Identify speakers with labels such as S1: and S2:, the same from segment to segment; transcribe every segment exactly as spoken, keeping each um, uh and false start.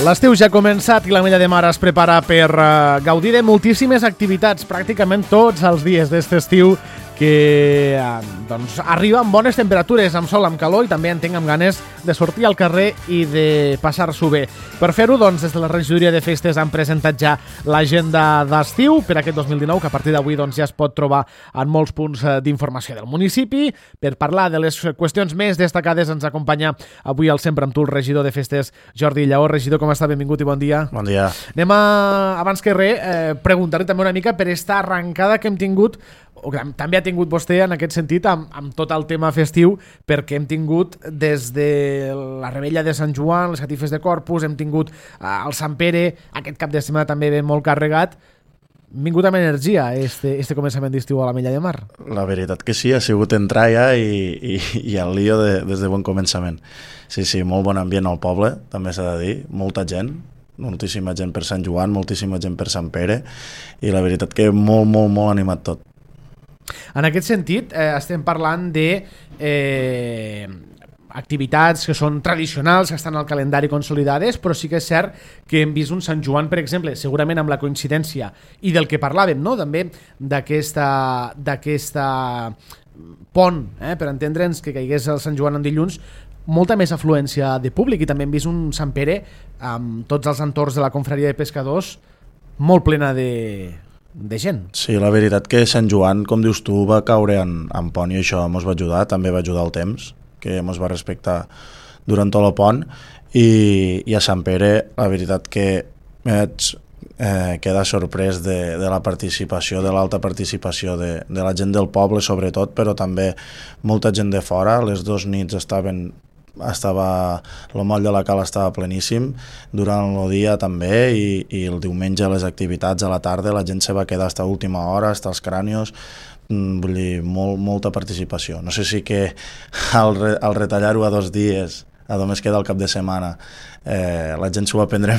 S1: L'estiu ja ha començat i l'Ametlla de Mar es prepara per uh, gaudir de moltíssimes activitats, pràcticament tots els dies d'este estiu, que uh, doncs, arriba amb bones temperatures, amb sol, amb calor i també en tinc amb ganes de sortir al carrer i de passar-s'ho bé. Per fer-ho, doncs, des de la regidoria de festes han presentat ja l'agenda d'estiu per aquest dos mil dinou, que a partir d'avui doncs, ja es pot trobar en molts punts d'informació del municipi. Per parlar de les qüestions més destacades ens acompanya avui el sempre amb tu el regidor de festes, Jordi Lleó. Regidor, com està? Benvingut i bon dia.
S2: Bon dia.
S1: Anem a, abans que res, eh, preguntar-li també una mica per esta arrencada que hem tingut, o que també ha tingut vostè en aquest sentit amb, amb tot el tema festiu, perquè hem tingut des de la Rebella de Sant Joan, les catifes de Corpus, hem tingut eh, el Sant Pere, aquest cap de setmana també ve molt carregat. Hem vingut amb energia este, este començament d'estiu a l'Ametlla de Mar.
S2: La veritat que sí, ha sigut entrar ja i, i, i el lío de, des de bon començament. Sí, sí, molt bon ambient al poble, també s'ha de dir, molta gent, moltíssima gent per Sant Joan, moltíssima gent per Sant Pere, i la veritat que molt, molt, molt animat tot.
S1: En aquest sentit, eh, estem parlant de eh, activitats que són tradicionals, que estan al calendari consolidades, però sí que és cert que hem vist un Sant Joan, per exemple, segurament amb la coincidència i del que parlàvem, no? També d'aquesta d'aquesta pont, eh, per entendre'ns que caigués el Sant Joan en dilluns, molta més afluència de públic, i també hem vist un Sant Pere amb tots els entorns de la confraria de pescadors molt plena de... de gent.
S2: Sí, la veritat que Sant Joan, com dius tu, va caure en, en pont i això ens va ajudar, també va ajudar el temps, que ens va respectar durant tot el pont, i, i a Sant Pere la veritat que vaig eh, quedar sorprès de, de la participació, de l'alta participació de, de la gent del poble sobretot, però també molta gent de fora. Les dues nits estaven estava el moll de la Cala estava pleníssim, durant el dia també, i, i el diumenge les activitats a la tarda la gent se va quedar fins a última hora, fins als crànios, vull dir, molt, molta participació. No sé si que al, re, al retallar-ho a dos dies, a només queda el cap de setmana, eh, la gent s'ho va prendre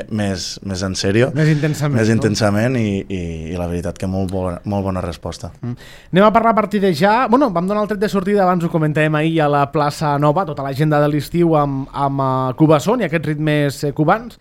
S2: més, més en sèrio,
S1: més intensament,
S2: més
S1: no?
S2: intensament i, i, i la veritat que molt bona, molt bona resposta.
S1: Mm. Anem a parlar a partir de ja. Bueno, vam donar el tret de sortida, abans ho comentàvem ahir, a la plaça Nova, tota l'agenda de l'estiu amb, amb uh, Cubasson i aquests ritmes eh, cubans.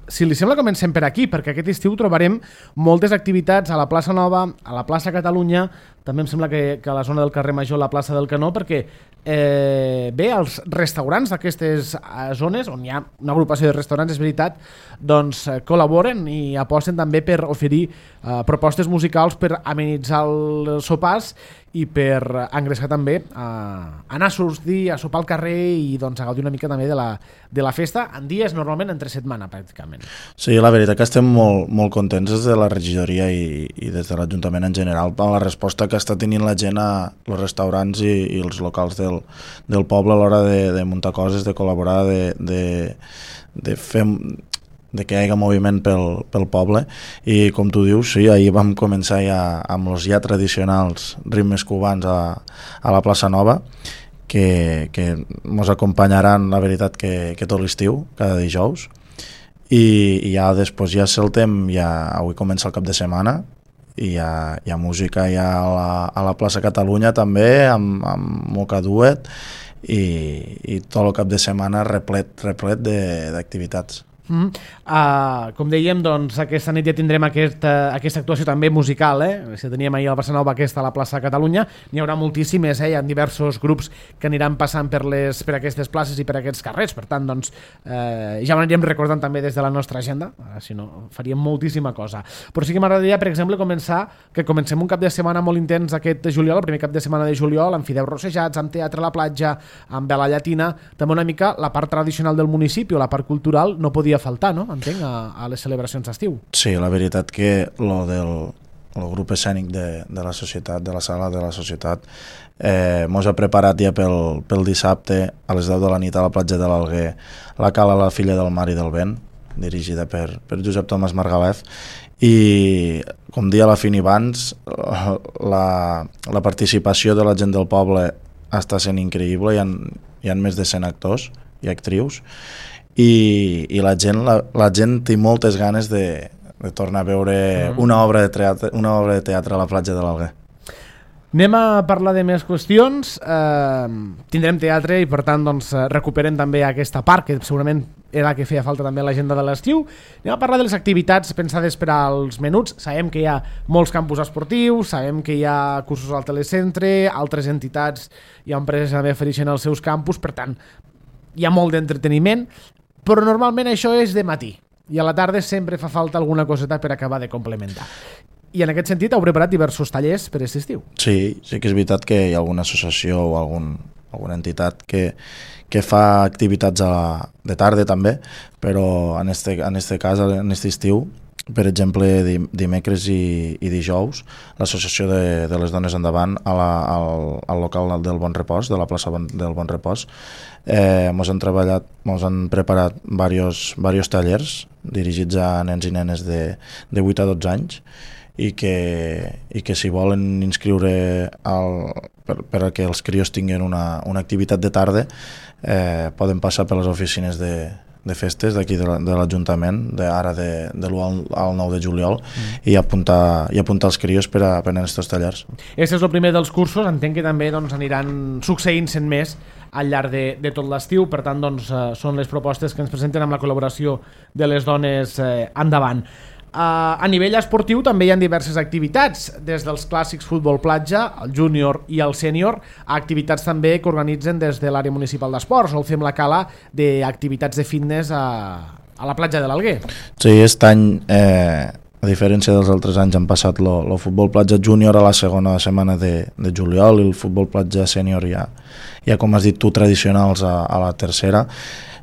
S1: Si li sembla, comencem per aquí, perquè aquest estiu trobarem moltes activitats a la plaça Nova, a la plaça Catalunya, també em sembla que, que a la zona del carrer Major, la plaça del Canó, perquè eh, bé, els restaurants d'aquestes zones, on hi ha una agrupació de restaurants, és veritat, doncs eh, col·laboren i aposten també per oferir eh, propostes musicals per amenitzar els sopars i per engreixar també a anar a sortir, a sopar al carrer i doncs, a gaudir una mica també de la, de la festa en dies normalment entre setmana pràcticament.
S2: Sí, la veritat que estem molt, molt contents des de la regidoria i, i des de l'Ajuntament en general per la resposta que està tenint la gent a els restaurants i, i els locals del, del poble a l'hora de, de muntar coses, de col·laborar, de, de, de fer... de que hi hagi moviment pel, pel poble, i com tu dius, sí, ahir vam començar ja amb els ja tradicionals ritmes cubans a, a la plaça Nova, que, que ens acompanyaran, la veritat, que, que tot l'estiu, cada dijous, i, i ja després ja saltem, ja avui comença el cap de setmana, i hi ha, hi ha música ja a la, a la plaça Catalunya també, amb, amb Moca Duet, i, i tot el cap de setmana replet, replet d'activitats.
S1: Mm. Uh, com dèiem, doncs aquesta nit ja tindrem aquesta, aquesta actuació també musical, eh? Si teníem ahir a la plaça Nova, aquesta a la plaça Catalunya, n'hi haurà moltíssimes, eh? Hi ha diversos grups que aniran passant per, les, per aquestes places i per aquests carrers, per tant, doncs eh, ja ho anirem recordant també des de la nostra agenda, uh, si no faríem moltíssima cosa. Però sí que m'agradaria, per exemple, començar, que comencem un cap de setmana molt intens aquest de juliol, el primer cap de setmana de juliol, amb fideus rossejats, amb teatre a la platja, amb vela llatina, també una mica la part tradicional del municipi o la part cultural no podia faltar, no? Entenc, a, a les celebracions d'estiu.
S2: Sí, la veritat que lo del el grup escènic de, de la societat, de la sala de la societat, eh, mos ha preparat ja pel, pel dissabte a les deu de la nit a la platja de l'Alguer la Cala la Filla del Mar i del Vent, dirigida per, per Josep Tomàs Margalef, i com dia la Fini abans, la, la participació de la gent del poble està sent increïble, hi ha, hi ha més de cent actors i actrius, i, i la gent la, la gent té moltes ganes de, de tornar a veure mm. una obra de teatre, una obra de teatre a la platja de l'Alguer.
S1: Anem a parlar de més qüestions. Eh, tindrem teatre i per tant doncs, recuperem també aquesta part que segurament era la que feia falta també a l'agenda de l'estiu. Anem a parlar de les activitats pensades per als menuts. Sabem que hi ha molts campus esportius, sabem que hi ha cursos al telecentre, altres entitats i empreses també ofereixen els seus campus, per tant hi ha molt d'entreteniment, però normalment això és de matí i a la tarda sempre fa falta alguna coseta per acabar de complementar. I en aquest sentit heu preparat diversos tallers per aquest estiu.
S2: Sí, sí que és veritat que hi ha alguna associació o algun, alguna entitat que, que fa activitats a la, de tarda també, però en este, en este cas, en este estiu, per exemple, dimecres i, i dijous, l'associació de, de les dones endavant a la, al, al local del Bon Repòs, de la plaça del Bon Repòs, eh, mos han treballat, mos han preparat diversos, diversos tallers dirigits a nens i nenes de, de vuit a dotze anys, i que, i que si volen inscriure al, per, per a que els crios tinguin una, una activitat de tarda, eh, poden passar per les oficines de, de festes d'aquí de l'Ajuntament, de, ara de, de l'u al, al nou de juliol, mm. i, apuntar, i apuntar els crios per a prendre aquests tallers.
S1: Aquest és el primer dels cursos, entenc que també doncs, aniran succeint-se'n més al llarg de, de tot l'estiu, per tant doncs, eh, són les propostes que ens presenten amb la col·laboració de les dones eh, endavant. Uh, a nivell esportiu també hi ha diverses activitats, des dels clàssics futbol platja, el júnior i el sènior, a activitats també que organitzen des de l'àrea municipal d'esports, o fem la cala d'activitats de fitness a, a la platja de l'Alguer.
S2: Sí, aquest any, eh, a diferència dels altres anys, han passat el futbol platja júnior a la segona setmana de, de juliol i el futbol platja sènior ja, ja, com has dit tu, tradicionals a, a la tercera.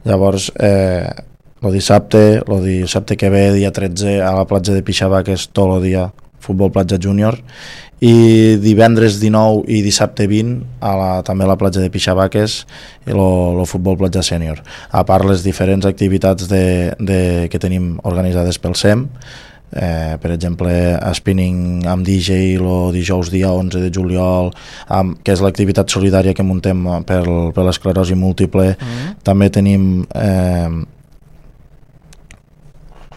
S2: Llavors, eh, el dissabte, el dissabte que ve, dia tretze, a la platja de Pixabà, que és tot el dia futbol platja júnior, i divendres dinou i dissabte vint a la, també a la platja de Pixabaques i el futbol platja sènior. A part les diferents activitats de, de, que tenim organitzades pel S E M, eh, per exemple spinning amb D J el dijous dia onze de juliol, amb, que és l'activitat solidària que muntem per, per l'esclerosi múltiple. Mm. També tenim eh,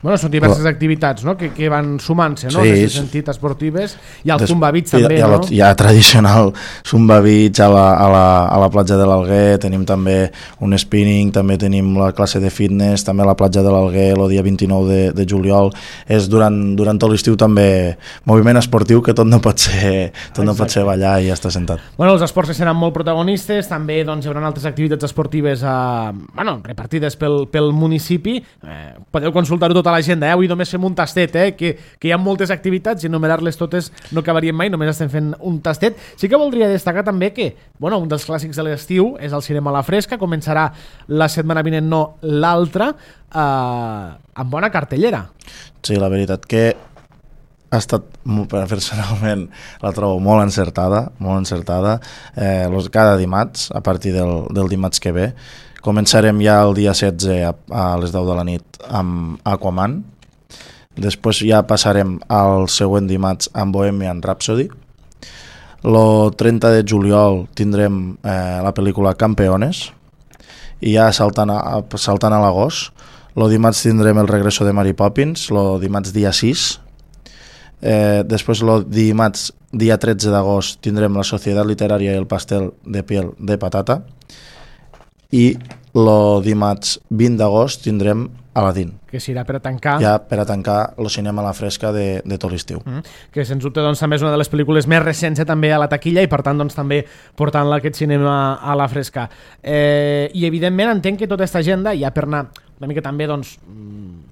S1: Bueno, són diverses activitats, no? que, que van sumant-se, no?
S2: Sí,
S1: en aquest sentit, esportives. Hi ha el
S2: des,
S1: Zumba Beach també,
S2: hi ha,
S1: no?
S2: Hi ha tradicional Zumba Beach a la, a la, a la platja de l'Alguer, tenim també un spinning, també tenim la classe de fitness, també a la platja de l'Alguer el dia vint-i-nou de, de juliol. És durant, durant tot l'estiu també moviment esportiu, que tot no pot ser, tot no pot ser ballar i estar sentat.
S1: Bueno, els esports seran molt protagonistes, també doncs, hi haurà altres activitats esportives a, bueno, repartides pel, pel municipi. Eh, podeu consultar-ho tot a l'agenda, eh? Avui només fem un tastet, eh? que, que hi ha moltes activitats i enumerar-les totes no acabaríem mai, només estem fent un tastet. Sí que voldria destacar també que bueno, un dels clàssics de l'estiu és el cinema a la fresca, començarà la setmana vinent, no l'altra, eh, amb bona cartellera.
S2: Sí, la veritat que ha estat, personalment la trobo molt encertada, molt encertada. Eh, los, cada dimarts, a partir del, del dimarts que ve, començarem ja el dia setze a, a les deu de la nit amb Aquaman. Després ja passarem al següent dimarts amb Bohemian Rhapsody. El trenta de juliol tindrem eh, la pel·lícula Campeones. I ja saltant a, saltant a l'agost, el dimarts tindrem el regreso de Mary Poppins, el dimarts dia sis. Eh, després el dimarts dia tretze d'agost tindrem la Societat Literària i el pastel de piel de patata. I el dimarts vint d'agost tindrem Aladdin,
S1: que serà per a tancar
S2: ja per a tancar el cinema a la fresca de, de tot l'estiu.
S1: Mm, que sens dubte doncs, també és una de les pel·lícules més recents eh, també a la taquilla i per tant doncs, també portant-la aquest cinema a la fresca. Eh, I evidentment entenc que tota aquesta agenda, ja per anar una mica també doncs,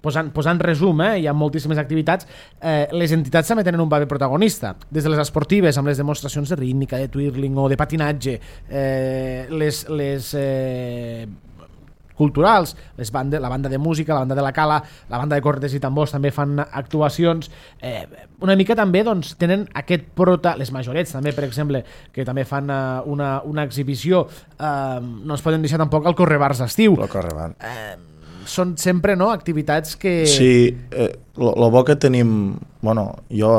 S1: posant, posant resum, eh, hi ha moltíssimes activitats, eh, les entitats també tenen un paper protagonista, des de les esportives amb les demostracions de rítmica, de twirling o de patinatge, eh, les, les eh, culturals, les bande, la banda de música, la banda de la cala, la banda de cornetes i tambors també fan actuacions, eh, una mica també doncs, tenen aquest prota, les majorets també, per exemple, que també fan uh, una, una exhibició, uh, no ens poden deixar tampoc el Correbars d'estiu.
S2: El Correbars.
S1: Eh, són sempre no, activitats que...
S2: Sí, eh, lo, lo bo que tenim, bueno, jo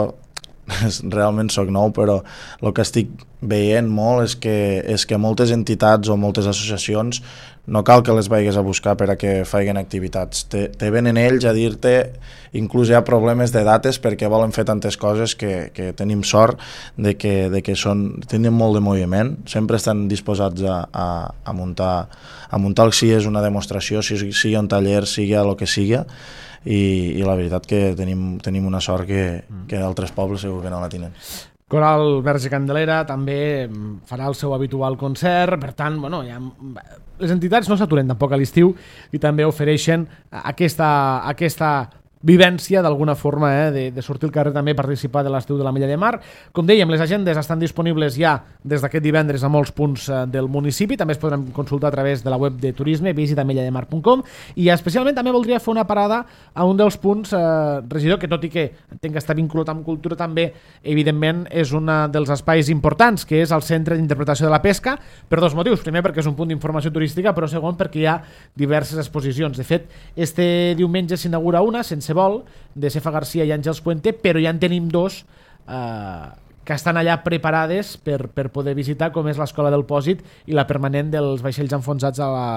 S2: realment soc nou, però el que estic veient molt és que, és que moltes entitats o moltes associacions no cal que les vagis a buscar per a que facin activitats. Te, te venen ells a dir-te, inclús hi ha problemes de dates perquè volen fer tantes coses que, que tenim sort de que, de que són, tenen molt de moviment, sempre estan disposats a, a, a muntar, a muntar si és una demostració, si sigui un taller, sigui el que sigui, i, i la veritat que tenim, tenim una sort que, que altres pobles segur que no la tenen.
S1: Coral Verge Candelera també farà el seu habitual concert, per tant, bueno, ja, les entitats no s'aturen tampoc a l'estiu i també ofereixen aquesta, aquesta vivència d'alguna forma, eh, de, de sortir al carrer també participar de l'estiu de l'Ametlla de Mar. Com dèiem, les agendes estan disponibles ja des d'aquest divendres a molts punts eh, del municipi, també es podran consultar a través de la web de turisme visita ametlla de mar punt com, i especialment també voldria fer una parada a un dels punts, eh, regidor, que tot i que entenc que està vinculat amb cultura també, evidentment és un dels espais importants, que és el Centre d'Interpretació de la Pesca, per dos motius. Primer, perquè és un punt d'informació turística, però segon, perquè hi ha diverses exposicions. De fet, este diumenge s'inaugura una, sense vol, de Cefa Garcia i Àngels Puente, però ja en tenim dos eh, que estan allà preparades per, per poder visitar, com és l'Escola del Pòsit i la permanent dels vaixells enfonsats a la,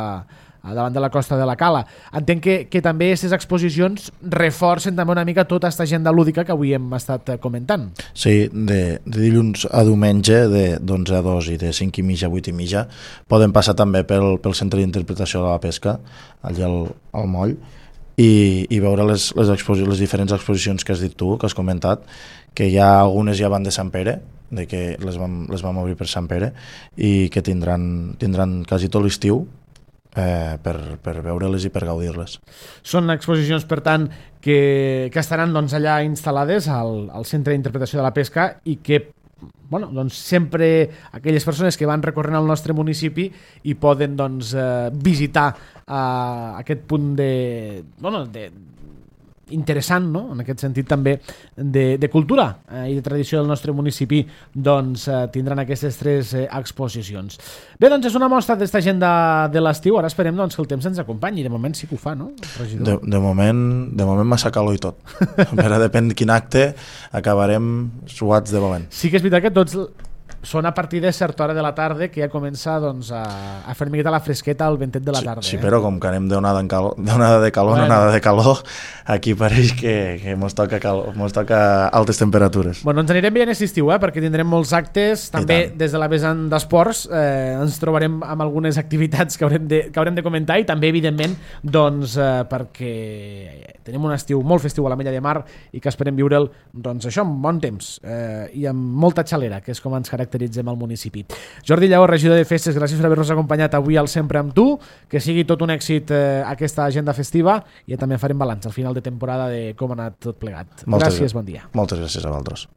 S1: a davant de la costa de la Cala. Entenc que, que també aquestes exposicions reforcen també una mica tota aquesta agenda lúdica que avui hem estat comentant.
S2: Sí, de, de dilluns a diumenge, de d'onze a dos i de cinc i mitja a vuit i mitja, poden passar també pel, pel Centre d'Interpretació de la Pesca, allà al, al moll, i, i veure les, les, les diferents exposicions que has dit tu, que has comentat, que hi ha algunes ja van de Sant Pere, de que les vam, les vam obrir per Sant Pere, i que tindran, tindran quasi tot l'estiu eh, per, per veure-les i per gaudir-les.
S1: Són exposicions, per tant, que, que estaran doncs, allà instal·lades al, al Centre d'Interpretació de la Pesca i que bueno, doncs sempre aquelles persones que van recorrent al nostre municipi i poden doncs, eh, visitar eh, aquest punt de, bueno, de, interessant, no? En aquest sentit també de, de cultura eh, i de tradició del nostre municipi, doncs eh, tindran aquestes tres eh, exposicions. Bé, doncs és una mostra d'esta agenda de l'estiu. Ara esperem doncs, que el temps ens acompanyi. De moment sí que ho fa, no, regidor?
S2: De, de moment, de moment massa calor i tot. Però depèn de quin acte acabarem suats de valent.
S1: Sí que és veritat que tots són a partir de certa hora de la tarda que ja comença doncs, a, a fer miqueta la fresqueta al ventet de la tarda.
S2: Sí, sí,
S1: eh?
S2: però com que anem d'onada de calor, de calor, bueno. onada de calor, aquí pareix que, que mos toca, calor, mos toca altes temperatures.
S1: Bueno, ens anirem veient aquest estiu, eh? Perquè tindrem molts actes, també des de la vessant d'esports, eh, ens trobarem amb algunes activitats que haurem de, que haurem de comentar i també, evidentment, doncs, eh, perquè tenim un estiu molt festiu a l'Ametlla de Mar i que esperem viure'l, doncs això, amb bon temps eh, i amb molta xalera, que és com ens caracteritzem al municipi. Jordi Lleó, regidor de Festes, gràcies per haver-nos acompanyat avui al Sempre amb tu, que sigui tot un èxit eh, aquesta agenda festiva i ja també farem balanç al final de temporada de com ha anat tot plegat.
S2: Moltes
S1: gràcies, bon dia.
S2: Moltes gràcies a vosaltres.